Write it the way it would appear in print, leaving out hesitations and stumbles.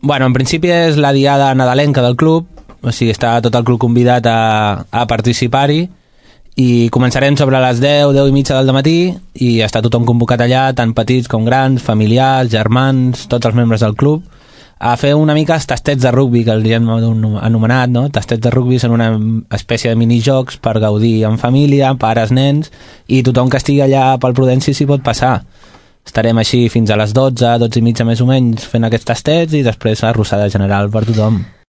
Bueno, en principi és la diada nadalenca del club, o sigui, està tot el club convidat a participar-hi, i començarem sobre les 10 i mitja del matí i està tothom convocat allà, tant petits com grans, familiars, germans, tots els membres del club, a fer una mica els tastets de rugbi, que els hem anomenat, no? Tastets de rugbi són una espècie de minijocs per gaudir en família, pares, nens, i tothom que estigui allà pel Prudenci s'hi pot passar. Estarem així fins a les 12 i mitja més o menys fent aquests tastets i després arrossada general per tothom.